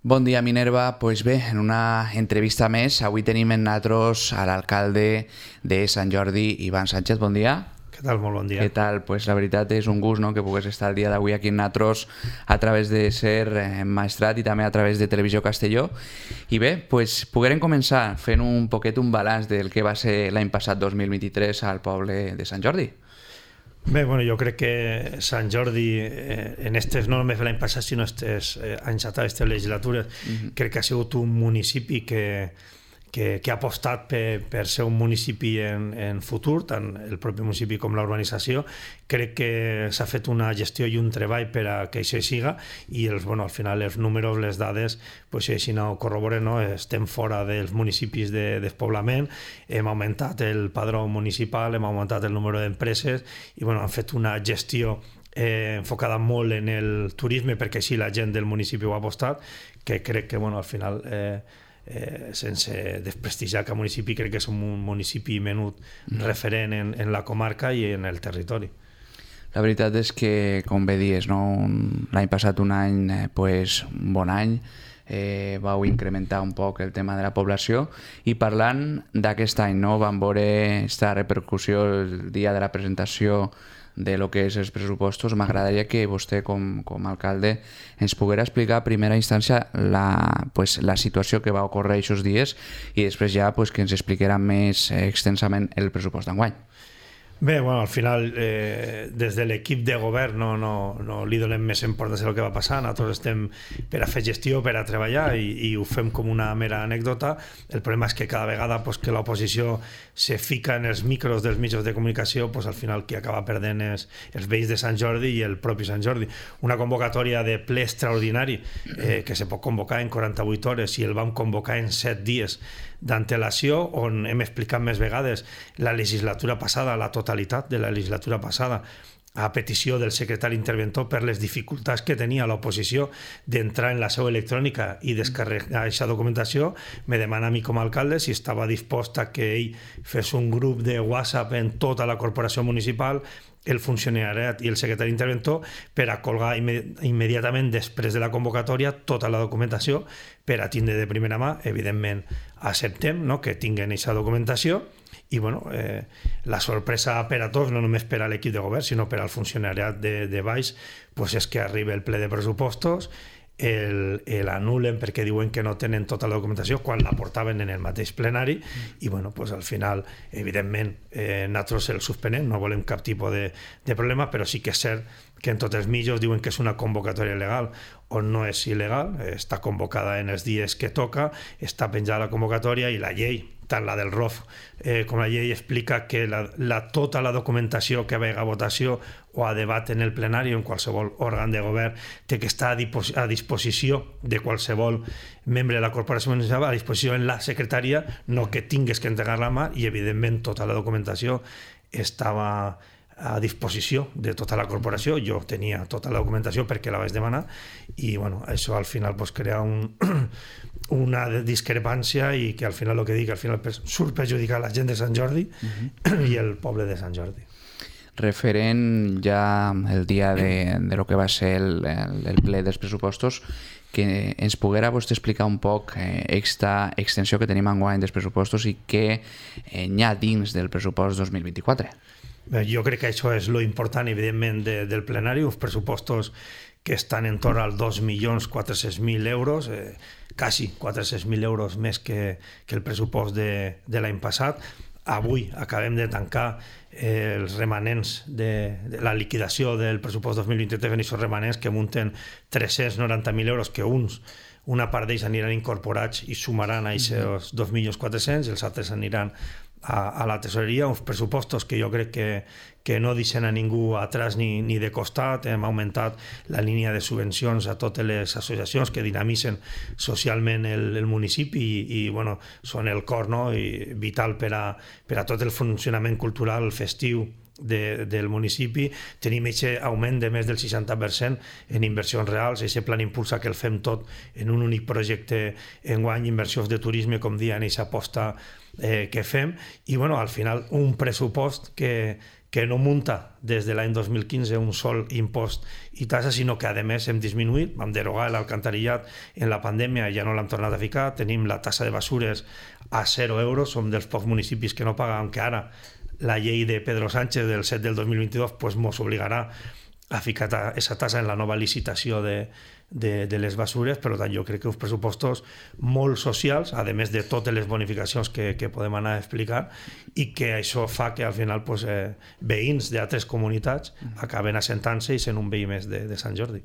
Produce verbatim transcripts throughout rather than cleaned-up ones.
Bon dia, Minerva. Pues bé, en una entrevista més, avui tenim en nosaltres a l'alcalde de Sant Jordi, Ivan Sánchez. Bon dia. Què tal? Molt bon dia. Què tal? Pues la veritat és un gust, no?, que pugues estar el dia d'avui aquí en nosaltres a través de ser eh, Maestrat i també a través de Televisió Castelló. I bé, pues, poguérem començar fent un poquet un balanç del que va ser l'any passat dos mil vint-i-tres al poble de Sant Jordi. Bé, bueno, jo crec que Sant Jordi, eh, en estes, no només l'any passat, sinó estes eh, anys atrás, aquestes legislatures, mm-hmm. crec que ha sigut un municipi que, que, que ha apostat per, per ser un municipi en, en futur, tant el propi municipi com la urbanització. Crec que s'ha fet una gestió i un treball per a que això siga i els, bueno, al final els números, les dades, pues, si així no ho corroboren, no? Estem fora dels municipis de despoblament, hem augmentat el padró municipal, hem augmentat el número d'empreses i bueno, han fet una gestió eh, enfocada molt en el turisme perquè així la gent del municipi ho ha apostat, que crec que bueno, al final eh, Eh, sense desprestigiar cap municipi, crec que és un municipi menut mm. referent en, en la comarca i en el territori. La veritat és que, com bé dies, no? L'any passat un any, eh, pues, un bon any, eh, vau incrementar un poc el tema de la població i parlant d'aquest any, no? Vam veure aquesta repercussió el dia de la presentació de lo que és els pressupostos. M'agradaria que vostè com, com a alcalde ens poguera explicar a primera instància la, pues, la situació que va ocórrer aquests dies i després ja pues, que ens expliquera més eh, extensament el pressupost d'enguany. Bé, bueno, al final, eh, des de l'equip de govern no, no, no li donem més importància al que va passar. Nosaltres estem per a fer gestió, per a treballar i, i ho fem com una mera anècdota. El problema és que cada vegada pues, que l'oposició se fica en els micros dels mitjans de comunicació, pues, al final qui acaba perdent és els veïns de Sant Jordi i el propi Sant Jordi. Una convocatòria de ple extraordinari eh, que se pot convocar en quaranta-vuit hores i el vam convocar en set dies d'antelació, on hem explicat més vegades la legislatura passada, la totalitat de la legislatura passada, a petició del secretari interventor per les dificultats que tenia l'oposició d'entrar en la seu electrònica i descarregar aquesta documentació. Me demana a mi com a alcalde si estava dispost a que ell fes un grup de WhatsApp en tota la corporació municipal, el funcionariat i el secretari interventor per a colgar immediatament després de la convocatòria tota la documentació per a tindre de primera mà. Evidentment acceptem, no?, que tinguen aquesta documentació i bueno, eh, la sorpresa per a tots, no només per a l'equip de govern sinó per al funcionariat de, de baix, pues és que arriba el ple de pressupostos, l'anulen perquè diuen que no tenen tota la documentació quan la portaven en el mateix plenari i bueno, pues al final evidentment eh, nosaltres el suspenem, no volem cap tipus de, de problema, però sí que és cert que en tots els mitjans diuen que és una convocatòria legal on no és il·legal, està convocada en els dies que toca, està penjada la convocatòria i la llei, tant la del R O F eh, com la llei explica que la, la, tota la documentació que vega a votació o a debat en el plenari o en qualsevol òrgan de govern té que estar a, dipos a disposició de qualsevol membre de la corporació municipal, a disposició en la secretaria, no que tingues que entregar la mà i evidentment tota la documentació estava a disposició de tota la corporació. Jo tenia tota la documentació perquè la vaig demanar i bueno, això al final pues, crea un, una discrepància i que al final el que dic al final surt perjudicar la gent de Sant Jordi uh-huh. i el poble de Sant Jordi. Referent ja el dia de, de lo que va ser el, el, el ple dels pressupostos, que ens poguera vostè explicar un poc eh, aquesta extensió que tenim enguany dels pressupostos i què eh, hi ha dins del pressupost dos mil vint-i-quatre. Bé, jo crec que això és lo important, evidentment, de, del plenari, uns pressupostos que estan en torn als dos milions quatre-cents mil euros, eh, quasi quatre-cents mil euros més que, que el pressupost de, de l'any passat. Avui acabem de tancar eh, els remanents de, de la liquidació del pressupost dos mil vint-i-tres, aquests remanents que munten tres-cents noranta mil euros, que uns, una part d'ells aniran incorporats i sumaran a aquests dos milions quatre-cents i els altres aniran a, a la tesoreria, uns pressupostos que jo crec que, que no deixen a ningú atrás ni, ni de costat. Hem augmentat la línia de subvencions a totes les associacions que dinamitzen socialment el, el municipi i, i bueno, són el cor, no?, i vital per a, per a tot el funcionament cultural festiu de, del municipi. Tenim aquest augment de més del seixanta per cent en inversions reals, aquest plan impulsa que el fem tot en un únic projecte enguany, inversions de turisme, com dient, aquesta aposta eh, que fem, i bueno, al final un pressupost que, que no munta des de l'any dos mil quinze un sol impost i tassa, sinó que a més hem disminuït, vam derogar l'alcantarillat en la pandèmia i ja no l'hem tornat a ficar, tenim la tassa de basures a zero euros, som dels pocs municipis que no paguen, que ara la llei de Pedro Sánchez del set del dos mil vint-i-dos pues, mos obligarà a ficar aquesta tassa en la nova licitació de, de, de les basures. Per tant, jo crec que uns pressupostos molt socials, a més de totes les bonificacions que, que podem anar a explicar, i que això fa que al final pues, eh, veïns d'altres comunitats acaben assentant-se i sent un veí més de, de Sant Jordi.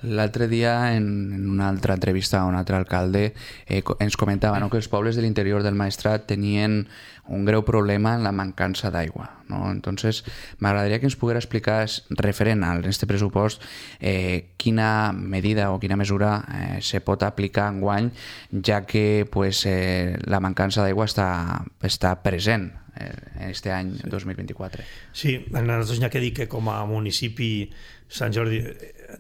L'altre dia, en, en una altra entrevista a un altre alcalde, eh, ens comentava, no?, que els pobles de l'interior del Maestrat tenien un greu problema en la mancança d'aigua, ¿no? Entonces, m'agradaria que ens poguera explicar, referent a este pressupost, eh, quina medida o quina mesura eh, se pot aplicar enguany, ja que pues, eh, la mancança d'aigua està, està present en este any dos mil vint-i-quatre. Sí, a nosaltres n'hi ha que dir que com a municipi Sant Jordi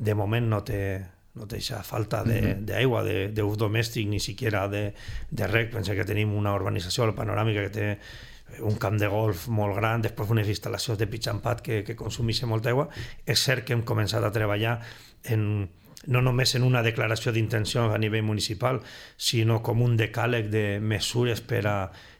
de moment no té, no té aquesta falta d'aigua, d'ús domèstic, ni siquiera de, de rec. Pensa que tenim una urbanització, la Panoràmica, que té un camp de golf molt gran, després unes instal·lacions de pitch and pad que, que consumeixen molta aigua. És cert que hem començat a treballar en, no només en una declaració d'intenció a nivell municipal, sinó com un decàleg de mesures per a,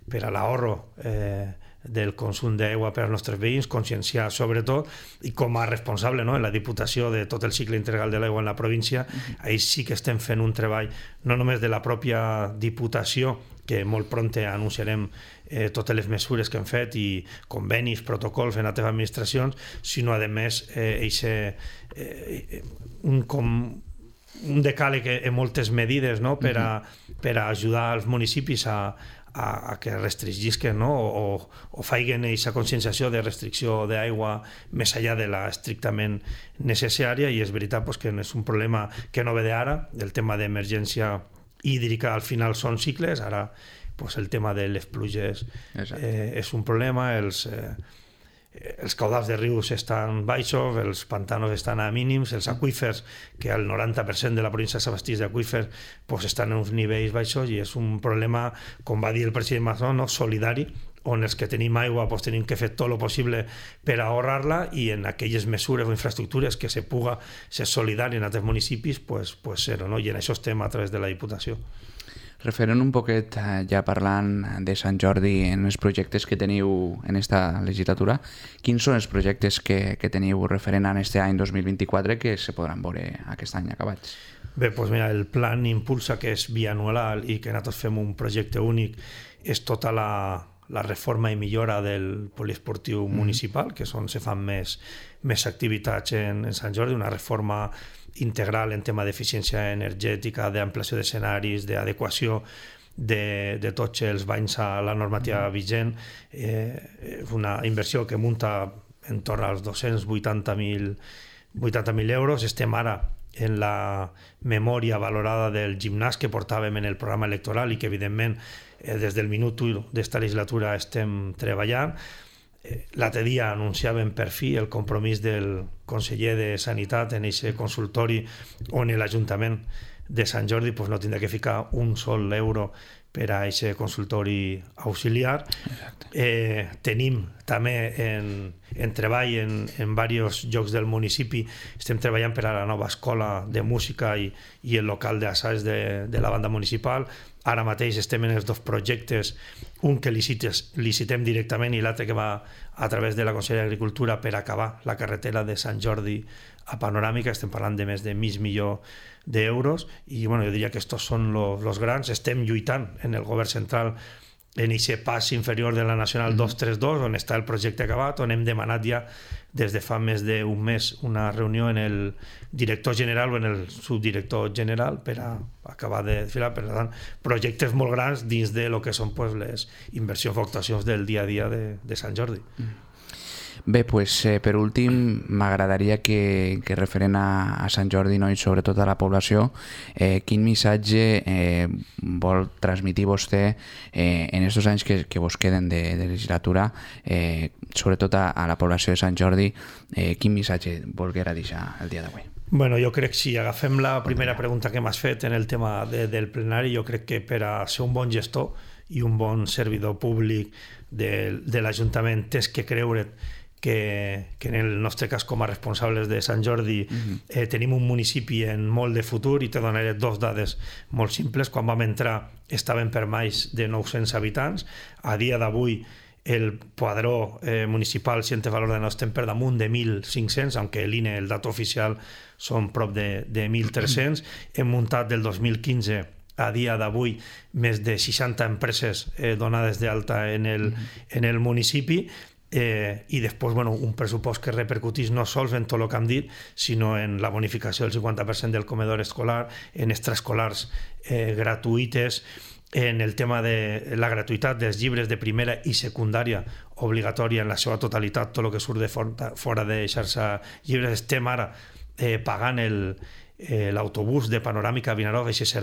per a l'ahorro eh, del consum d'aigua per als nostres veïns, conscienciar sobretot, i com a responsable, no?, en la Diputació de tot el cicle integral de l'aigua en la província, ahí sí que estem fent un treball no només de la pròpia Diputació, que molt prompte anunciarem eh, totes les mesures que hem fet i convenis, protocols en altres administracions, sinó a més eh, eixe, eh, un, com, un decàleg en moltes medides, no?, per a, per a ajudar els municipis a A, a que restringisquen, no? o, o faiguen aquesta conscienciació de restricció d'aigua més enllà de la estrictament necessària. I és veritat pues, que és un problema que no ve d'ara. El tema d'emergència hídrica al final són cicles. Ara pues, el tema de les pluges eh, és un problema. Els, eh, els caudals de rius estan baixos, els pantanos estan a mínims, els aqüífers, que el noranta per cent de la província s'abasteix d'aqüífers, pues estan en uns nivells baixos, i és un problema, com va dir el president Mazón, no? Solidari, on els que tenim aigua pues, tenim que fer tot el possible per ahorrar-la, i en aquelles mesures o infraestructures que se puga ser solidari en altres municipis, pues, pues ser-ho, no? I en això estem a través de la Diputació. Referent un poquet, ja parlant de Sant Jordi, en els projectes que teniu en esta legislatura, quins són els projectes que, que teniu referent a aquest any dos mil vint-i-quatre que se podran veure aquest any acabats? Bé, doncs mira, el plan Impulsa, que és bianual i que nosaltres fem un projecte únic, és tota la, la reforma i millora del poliesportiu mm. municipal, que és on se fan més, més activitats en, en Sant Jordi, una reforma integral en tema d'eficiència energètica, d'ampliació d'escenaris, d'adequació de, de tots els banys a la normativa vigent. Eh, una inversió que munta en torn als dos-cents vuitanta mil euros. Estem ara en la memòria valorada del gimnàs que portàvem en el programa electoral i que, evidentment, eh, des del minut u d'esta legislatura estem treballant. L'altre dia anunciàvem per fi el compromís del conseller de Sanitat en aquest consultori on l'Ajuntament de Sant Jordi pues, no tindrà que ficar un sol euro per a aquest consultori auxiliar. Eh, tenim també en, en treball en, en diversos llocs del municipi, estem treballant per a la nova escola de música i, i el local d'assaig de, de la banda municipal. Ara mateix estem en els dos projectes, un que licites, licitem directament i l'altre que va a través de la Conselleria d'Agricultura per acabar la carretera de Sant Jordi a Panoràmica. Estem parlant de més de mig milió d'euros i bueno, jo diria que estos són els grans. Estem lluitant en el govern central en aquest pas inferior de la Nacional dos trenta dos, on està el projecte acabat, on hem demanat ja des de fa més d'un mes una reunió en el director general o en el subdirector general per a acabar de filar. Per tant, projectes molt grans dins de lo que són pues, les inversions o actuacions del dia a dia de, de Sant Jordi. Bé, pues, eh, per últim, m'agradaria que, que referent a, a Sant Jordi, no? I sobretot a la població, eh, quin missatge eh, vol transmitir vostè eh, en aquests anys que, que vos queden de, de legislatura, eh, sobretot a, a la població de Sant Jordi, eh, quin missatge volguera deixar el dia d'avui? Bueno, jo crec que si agafem la primera pregunta que m'has fet en el tema de, del plenari, jo crec que per a ser un bon gestor i un bon servidor públic de, de l'Ajuntament tens que creure que, que en el nostre cas com a responsables de Sant Jordi uh-huh. eh, tenim un municipi en molt de futur, i te donaré dos dades molt simples. Quan vam entrar estaven per més de nou-cents habitants. A dia d'avui el padró eh, municipal, si en té valor de no, estem per damunt de mil cinc-cents, aunque l'I N E, el dato oficial, són prop de, de mil tres-cents. Hem muntat del dos mil quinze a dia d'avui més de seixanta empreses eh, donades d'alta en, el, en el municipi, eh, i després bueno, un pressupost que repercutís no sols en tot el que hem dit, sinó en la bonificació del cinquanta per cent del comedor escolar, en extraescolars eh, gratuïtes, en el tema de la gratuïtat dels llibres de primera i secundària obligatòria en la seva totalitat, tot el que surt de fora, fora de xarxa llibres. Estem ara eh, pagant el, eh, l'autobús de Panoràmica a Vinaròs, aquest